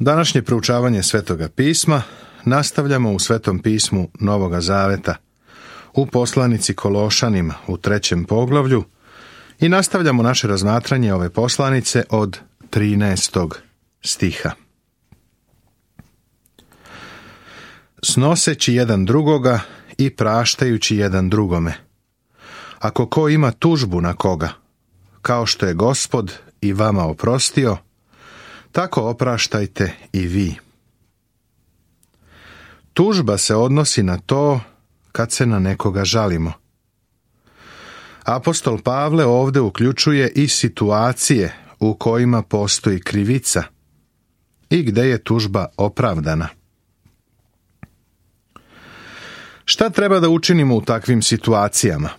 Današnje proučavanje Svetoga pisma nastavljamo u Svetom pismu Novoga Zaveta, u poslanici Kološanima u 3. poglavlju i nastavljamo naše razmatranje ove poslanice od 13. stiha. Snoseći jedan drugoga i praštajući jedan drugome. Ako ko ima tužbu na koga, kao što je Gospod i vama oprostio, tako opraštajte i vi. Tužba se odnosi na to kad se na nekoga žalimo. Apostol Pavle ovdje uključuje i situacije u kojima postoji krivica i gdje je tužba opravdana. Šta treba da učinimo u takvim situacijama?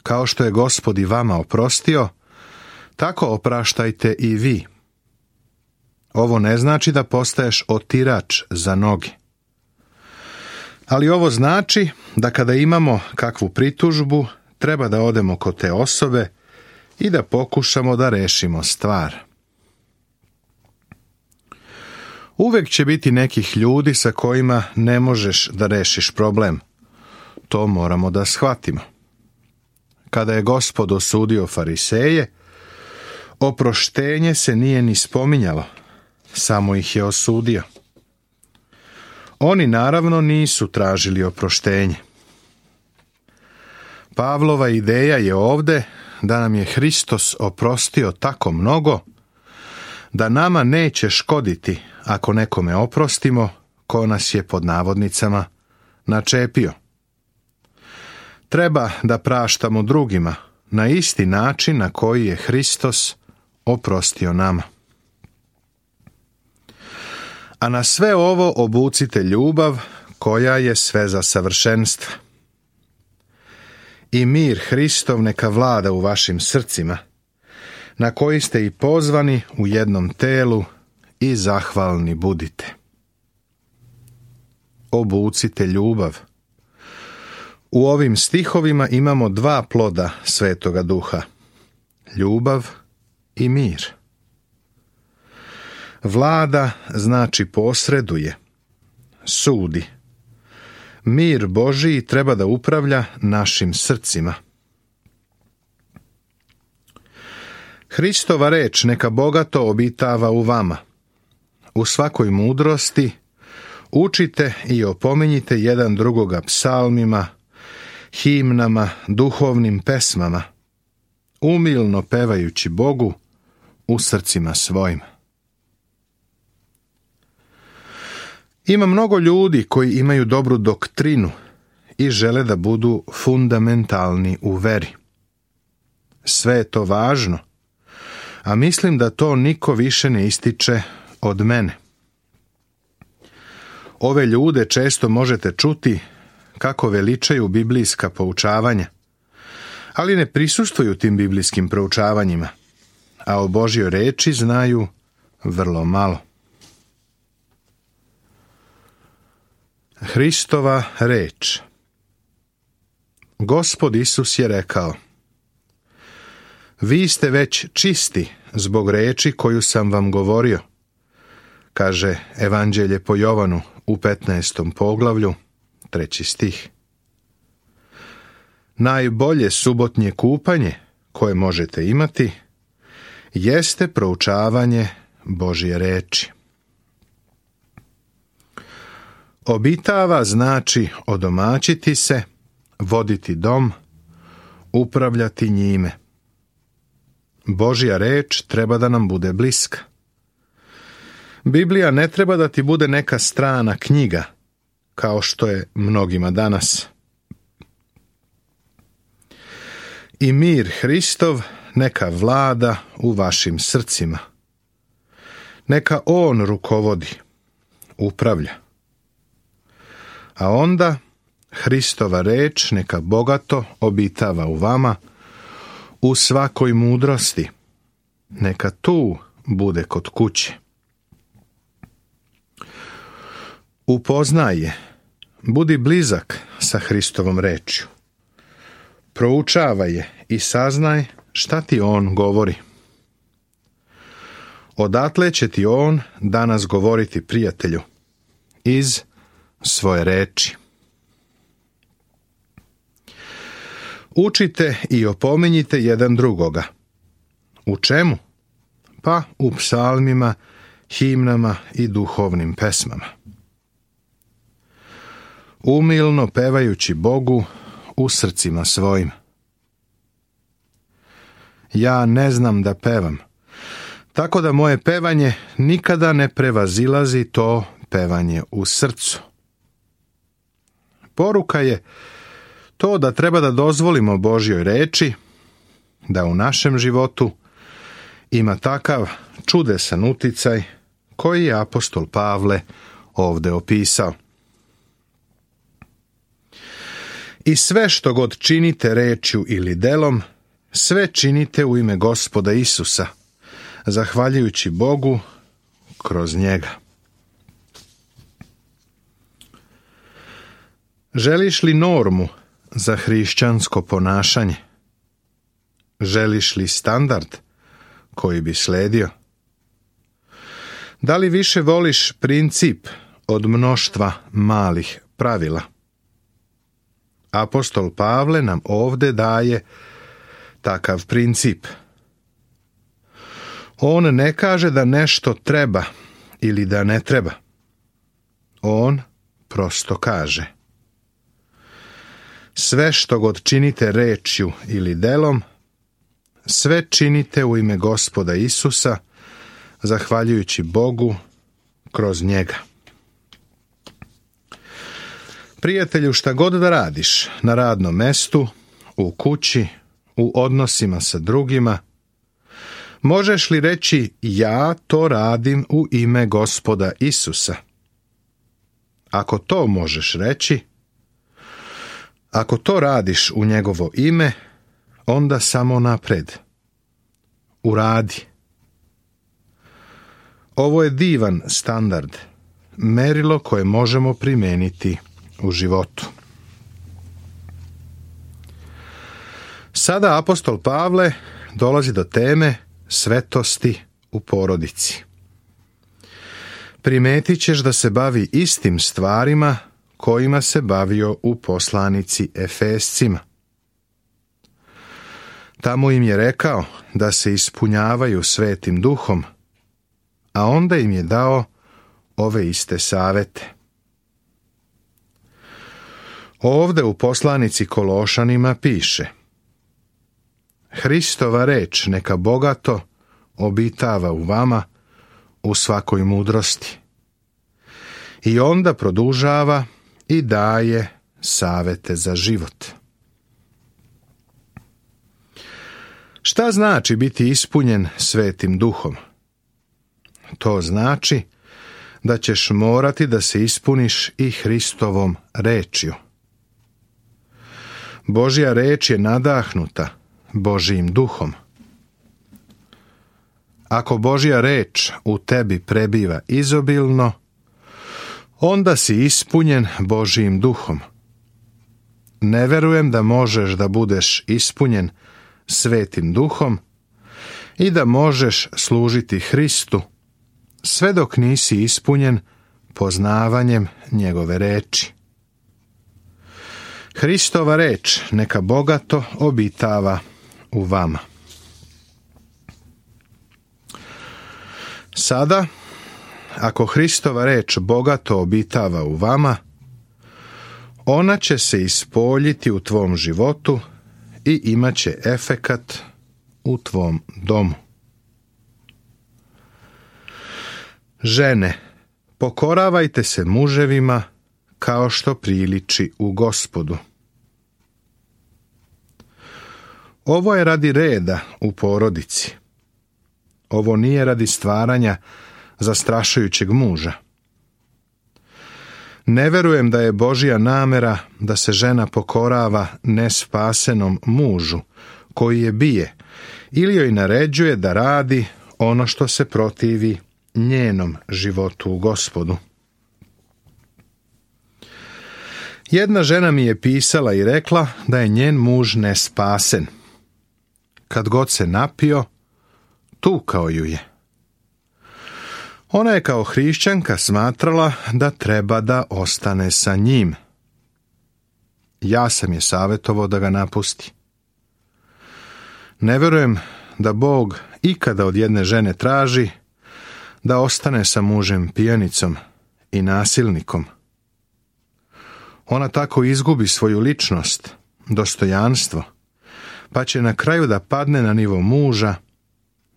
Kao što je Gospod i vama oprostio, tako opraštajte i vi. Ovo ne znači da postaješ otirač za noge. Ali ovo znači da kada imamo kakvu pritužbu, treba da odemo kod te osobe i da pokušamo da rešimo stvar. Uvek će biti nekih ljudi sa kojima ne možeš da rešiš problem. To moramo da shvatimo. Kada je Gospod osudio Fariseje, oproštenje se nije ni spominjalo, samo ih je osudio. Oni naravno nisu tražili oproštenje. Pavlova ideja je ovdje da nam je Hristos oprostio tako mnogo da nama neće škoditi ako nekome oprostimo ko nas je pod navodnicama načepio. Treba da praštamo drugima na isti način na koji je Hristos oprostio nama. A na sve ovo obucite ljubav koja je sve za savršenstva. I mir Hristov neka vlada u vašim srcima, na koji ste i pozvani u jednom telu i zahvalni budite. Obucite ljubav. U ovim stihovima imamo dva ploda Svetoga Duha, ljubav i mir. Vlada znači posreduje, sudi. Mir Božiji treba da upravlja našim srcima. Hristova reč neka bogato obitava u vama. U svakoj mudrosti učite i opominjite jedan drugoga psalmima, himnama, duhovnim pesmama, umilno pevajući Bogu u srcima svojim. Ima mnogo ljudi koji imaju dobru doktrinu i žele da budu fundamentalni u veri. Sve je to važno, a mislim da to niko više ne ističe od mene. Ove ljude često možete čuti kako veličaju biblijska poučavanja, ali ne prisustvuju tim biblijskim proučavanjima, a o Božjoj reči znaju vrlo malo. Hristova reč. Gospod Isus je rekao: vi ste već čisti zbog reči koju sam vam govorio, kaže Evanđelje po Jovanu u 15. poglavlju, 3. stih. Najbolje subotnje kupanje koje možete imati jeste proučavanje Božje reči. Obitava znači odomaćiti se, voditi dom, upravljati njime. Božja reč treba da nam bude bliska. Biblija ne treba da ti bude neka strana knjiga, kao što je mnogima danas. I mir Hristov neka vlada u vašim srcima. Neka on rukovodi, upravlja. A onda Hristova reč neka bogato obitava u vama u svakoj mudrosti. Neka tu bude kod kuće. Upoznaj je, budi blizak sa Hristovom rečju. Proučavaj je i saznaj šta ti on govori. Odatle će ti on danas govoriti, prijatelju, iz svoje reči. Učite i opominjite jedan drugoga. U čemu? Pa u psalmima, himnama i duhovnim pesmama. Umilno pevajući Bogu u srcima svojim. Ja ne znam da pevam, tako da moje pevanje nikada ne prevazilazi to pevanje u srcu. Poruka je to da treba da dozvolimo Božjoj reči da u našem životu ima takav čudesan uticaj koji je apostol Pavle ovdje opisao. I sve što god činite rečju ili delom, sve činite u ime Gospoda Isusa, zahvaljujući Bogu kroz njega. Želiš li normu za hrišćansko ponašanje? Želiš li standard koji bi sledio? Da li više voliš princip od mnoštva malih pravila? Apostol Pavle nam ovdje daje takav princip. On ne kaže da nešto treba ili da ne treba. On prosto kaže: sve što god činite rečju ili delom, sve činite u ime Gospoda Isusa, zahvaljujući Bogu kroz njega. Prijatelju, šta god da radiš na radnom mestu, u kući, u odnosima sa drugima, možeš li reći ja to radim u ime Gospoda Isusa? Ako to možeš reći, ako to radiš u njegovo ime, onda samo napred. Uradi. Ovo je divan standard, merilo koje možemo primijeniti u životu. Sada apostol Pavle dolazi do teme svetosti u porodici. Primetit ćeš da se bavi istim stvarima kojima se bavio u poslanici Efescima. Tamo im je rekao da se ispunjavaju Svetim Duhom, a onda im je dao ove iste savete. Ovde u poslanici Kološanima piše: Hristova reč neka bogato obitava u vama u svakoj mudrosti. I onda produžava i daje savete za život. Šta znači biti ispunjen Svetim Duhom? To znači da ćeš morati da se ispuniš i Hristovom rečju. Božja reč je nadahnuta Božjim Duhom. Ako Božja reč u tebi prebiva izobilno, onda si ispunjen Božjim Duhom. Ne verujem da možeš da budeš ispunjen Svetim Duhom i da možeš služiti Hristu sve dok nisi ispunjen poznavanjem njegove reči. Hristova reč neka bogato obitava u vama. Sada, ako Hristova reč bogato obitava u vama, ona će se ispoljiti u tvom životu i imat će efekat u tvom domu. Žene, pokoravajte se muževima kao što priliči u Gospodu. Ovo je radi reda u porodici. Ovo nije radi stvaranja zastrašujućeg muža. Ne verujem da je Božja namera da se žena pokorava nespasenom mužu koji je bije ili joj naređuje da radi ono što se protivi njenom životu u Gospodu. Jedna žena mi je pisala i rekla da je njen muž nespasen. Kad god se napio, tukao ju je. Ona je kao hrišćanka smatrala da treba da ostane sa njim. Ja sam je savjetovao da ga napusti. Ne vjerujem da Bog ikada od jedne žene traži da ostane sa mužem pijanicom i nasilnikom. Ona tako izgubi svoju ličnost, dostojanstvo, pa će na kraju da padne na nivo muža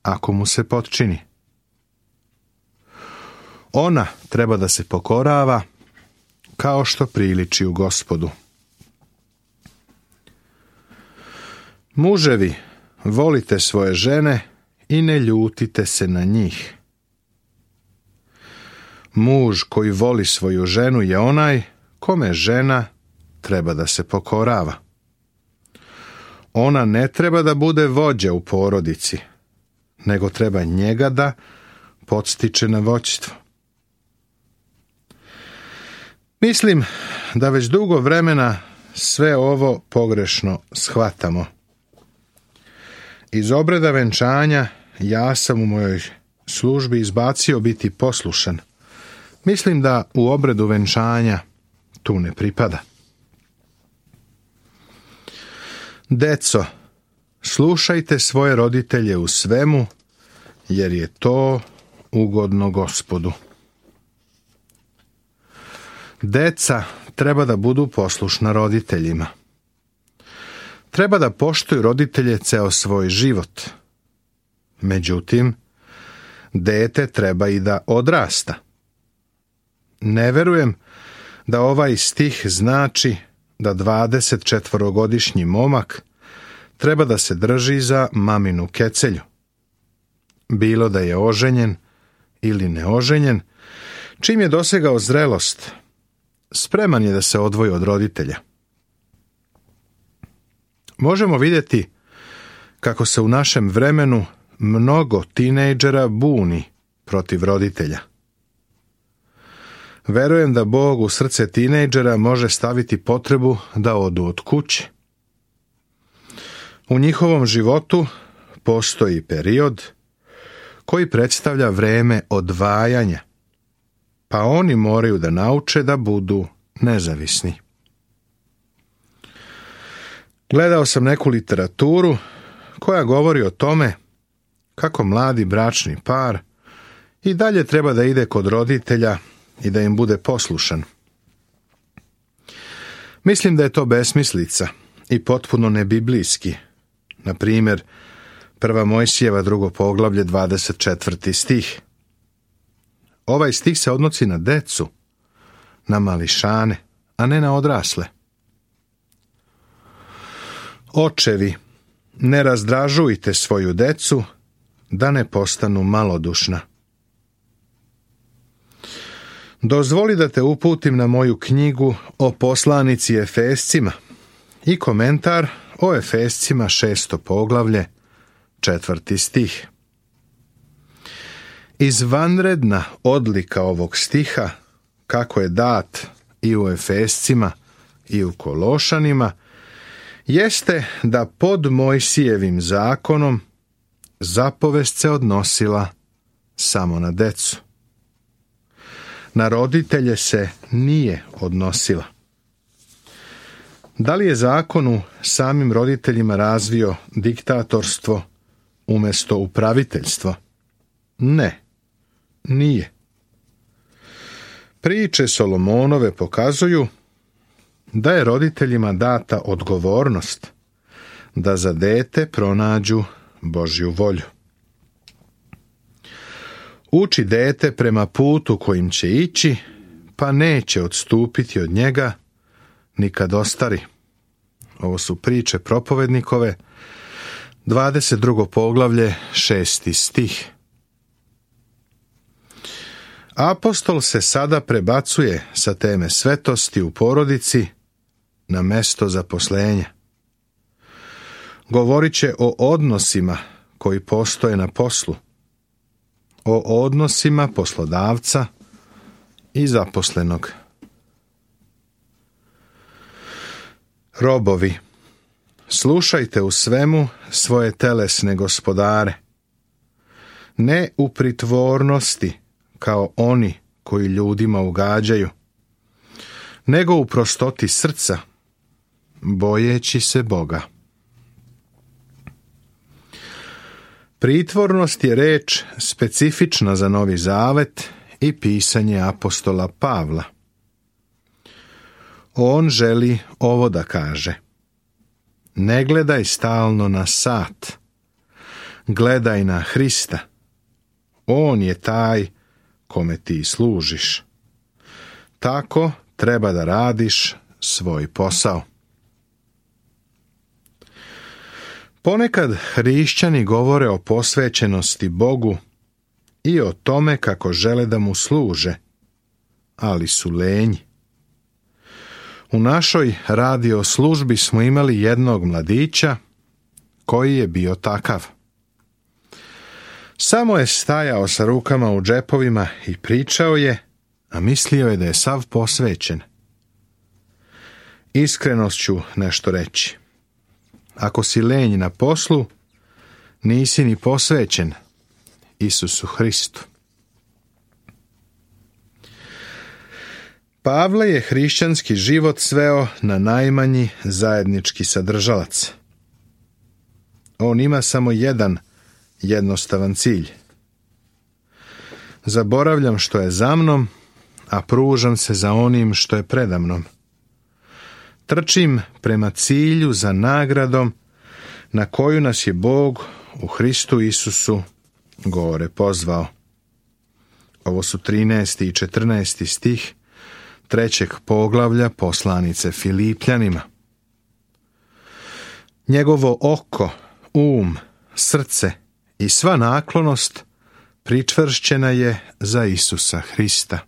ako mu se potčini. Ona treba da se pokorava kao što priliči u Gospodu. Muževi, volite svoje žene i ne ljutite se na njih. Muž koji voli svoju ženu je onaj kome žena treba da se pokorava. Ona ne treba da bude vođa u porodici, nego treba njega da podstiče na vođstvo. Mislim da već dugo vremena sve ovo pogrešno shvatamo. Iz obreda venčanja ja sam u mojoj službi izbacio biti poslušan. Mislim da u obredu venčanja tu ne pripada. Deco, slušajte svoje roditelje u svemu, jer je to ugodno Gospodu. Deca treba da budu poslušna roditeljima. Treba da poštuju roditelje ceo svoj život. Međutim, dete treba i da odrasta. Ne verujem da ovaj stih znači da 24-godišnji momak treba da se drži za maminu kecelju. Bilo da je oženjen ili neoženjen, čim je dosegao zrelost, spreman je da se odvoji od roditelja. Možemo vidjeti kako se u našem vremenu mnogo tinejdžera buni protiv roditelja. Verujem da Bog u srce tinejdžera može staviti potrebu da odu od kuće. U njihovom životu postoji period koji predstavlja vreme odvajanja, pa oni moraju da nauče da budu nezavisni. Gledao sam neku literaturu koja govori o tome kako mladi bračni par i dalje treba da ide kod roditelja i da im bude poslušan. Mislim da je to besmislica i potpuno nebiblijski. Na primjer, 1. Mojsijeva 2. poglavlje 24. stih. Ovaj stih se odnosi na decu, na mališane, a ne na odrasle. Očevi, ne razdražujte svoju decu da ne postanu malodušna. Dozvoli da te uputim na moju knjigu o poslanici Efescima i komentar o Efescima 6. poglavlje 4. stih. Izvanredna odlika ovog stiha, kako je dat i u Efescima i u Kološanima, jeste da pod Mojsijevim zakonom zapovest se odnosila samo na decu. Na roditelje se nije odnosila. Da li je zakon u samim roditeljima razvio diktatorstvo umjesto upraviteljstvo? Ne, nije. Priče Solomonove pokazuju da je roditeljima data odgovornost da za dete pronađu Božju volju. Uči dete prema putu kojim će ići, pa neće odstupiti od njega ni kad ostari. Ovo su priče propovednikove, 22. poglavlje, 6. stih. Apostol se sada prebacuje sa teme svetosti u porodici na mesto zaposlenja. Govorit će o odnosima koji postoje na poslu, o odnosima poslodavca i zaposlenog. Robovi, slušajte u svemu svoje telesne gospodare, ne u pritvornosti, kao oni koji ljudima ugađaju, nego u prostoti srca, bojeći se Boga. Pritvornost je reč specifična za Novi Zavet i pisanje apostola Pavla. On želi ovo da kaže: ne gledaj stalno na sat, gledaj na Hrista. On je taj kome ti služiš. Tako treba da radiš svoj posao. Ponekad hrišćani govore o posvećenosti Bogu i o tome kako žele da mu služe, ali su lenji. U našoj radio službi smo imali jednog mladića koji je bio takav. Samo je stajao sa rukama u džepovima i pričao je, a mislio je da je sav posvećen. Iskrenost ću nešto reći. Ako si lenj na poslu, nisi ni posvećen Isusu Hristu. Pavle je hrišćanski život sveo na najmanji zajednički sadržalac. On ima samo jedan jednostavan cilj. Zaboravljam što je za mnom, a pružam se za onim što je predamnom. Trčim prema cilju za nagradom na koju nas je Bog u Hristu Isusu gore pozvao. Ovo su 13. i 14. stih 3. poglavlja poslanice Filipljanima. Njegovo oko, srce i sva naklonost pričvršćena je za Isusa Hrista.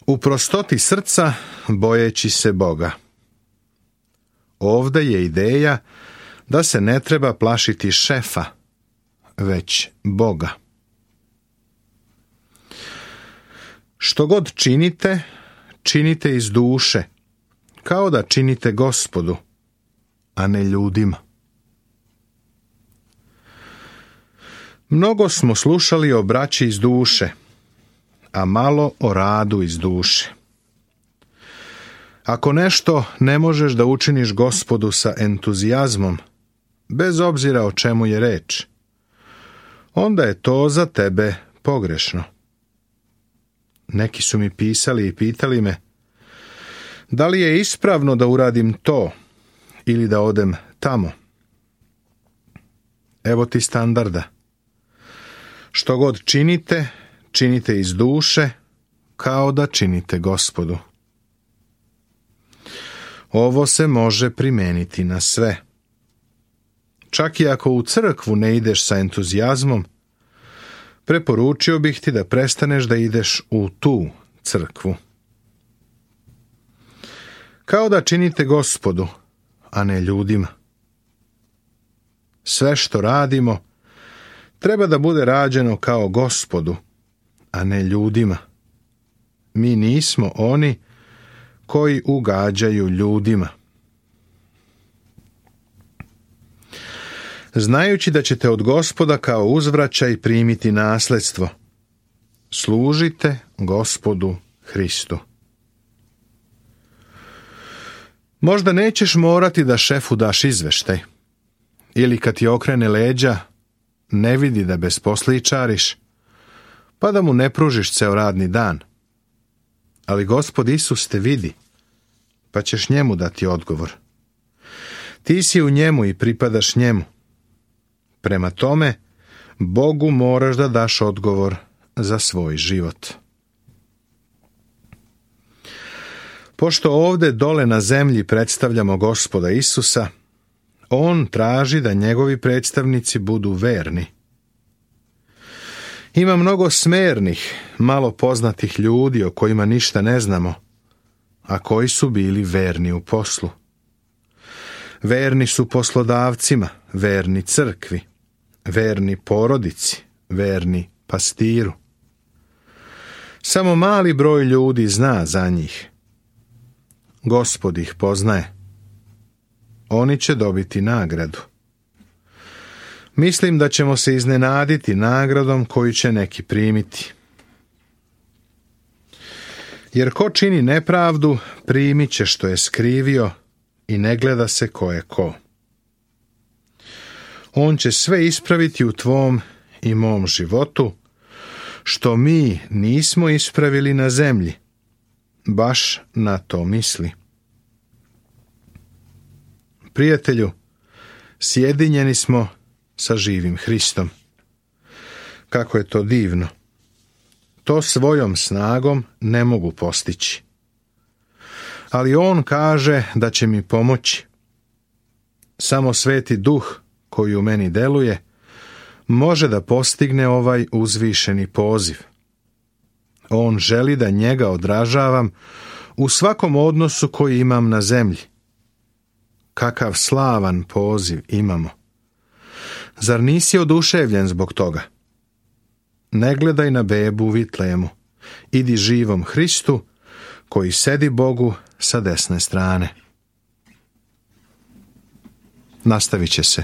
U prostoti srca, bojeći se Boga. Ovdje je ideja da se ne treba plašiti šefa, već Boga. Što god činite, činite iz duše, kao da činite Gospodu, a ne ljudima. Mnogo smo slušali o braći iz duše, a malo o radu iz duše. Ako nešto ne možeš da učiniš Gospodu sa entuzijazmom, bez obzira o čemu je reč, onda je to za tebe pogrešno. Neki su mi pisali i pitali me, da li je ispravno da uradim to ili da odem tamo? Evo ti standarda. Što god činite, činite iz duše, kao da činite Gospodu. Ovo se može primijeniti na sve. Čak i ako u crkvu ne ideš sa entuzijazmom, preporučio bih ti da prestaneš da ideš u tu crkvu. Kao da činite Gospodu, a ne ljudima. Sve što radimo treba da bude rađeno kao Gospodu, a ne ljudima. Mi nismo oni koji ugađaju ljudima. Znajući da ćete od Gospoda kao uzvraćaj primiti nasledstvo, služite Gospodu Hristu. Možda nećeš morati da šefu daš izveštaj, ili kad ti okrene leđa, ne vidi da besposličariš, pa da mu ne pružiš ceo radni dan. Ali Gospod Isus te vidi, pa ćeš njemu dati odgovor. Ti si u njemu i pripadaš njemu. Prema tome, Bogu moraš da daš odgovor za svoj život. Pošto ovdje dole na zemlji predstavljamo Gospoda Isusa, on traži da njegovi predstavnici budu verni. Ima mnogo smernih, malo poznatih ljudi o kojima ništa ne znamo, a koji su bili verni u poslu. Verni su poslodavcima, verni crkvi, verni porodici, verni pastiru. Samo mali broj ljudi zna za njih. Gospod ih poznaje. Oni će dobiti nagradu. Mislim da ćemo se iznenaditi nagradom koju će neki primiti. Jer ko čini nepravdu, primit će što je skrivio i ne gleda se ko je ko. On će sve ispraviti u tvom i mom životu, što mi nismo ispravili na zemlji. Baš na to misli. Prijatelju, sjedinjeni smo sa živim Hristom. Kako je to divno! To svojom snagom ne mogu postići. Ali on kaže da će mi pomoći. Samo Sveti Duh koji u meni deluje može da postigne ovaj uzvišeni poziv. On želi da njega odražavam u svakom odnosu koji imam na zemlji. Kakav slavan poziv imamo! Zar nisi oduševljen zbog toga? Ne gledaj na bebu u Vitlejemu. Idi živom Hristu koji sedi Bogu sa desne strane. Nastavit će se.